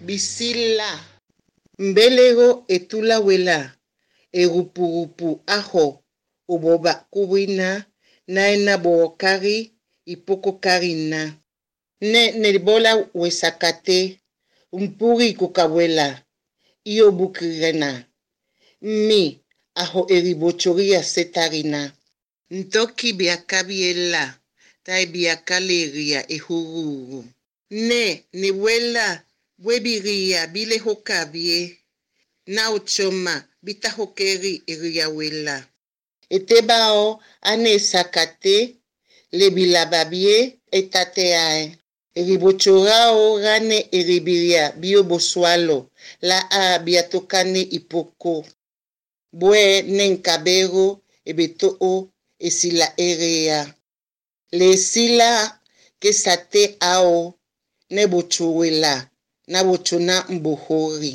Bisila. Mbelego etula wela. Erupurupu aho. Oboba kuwina. Naena bookari. Ipoko karina. Nebola wesakate. Umpuri kukawela. Iyo bukirena. Mi. Aho eribochoria setarina. Ntoki biakabiela. Tai biakaleria ehururu. Newela. Webiria bile hokabie. Na uchoma bita hokeri eriawela. Etebao ane sakate lebilababie etateae. Eribochorao gane eribiria bioboswalo la a biatokane ipoko. Bue nenkabero ebetoo esila erea. Le sila que sate ao nebochowela na bochona mbohori.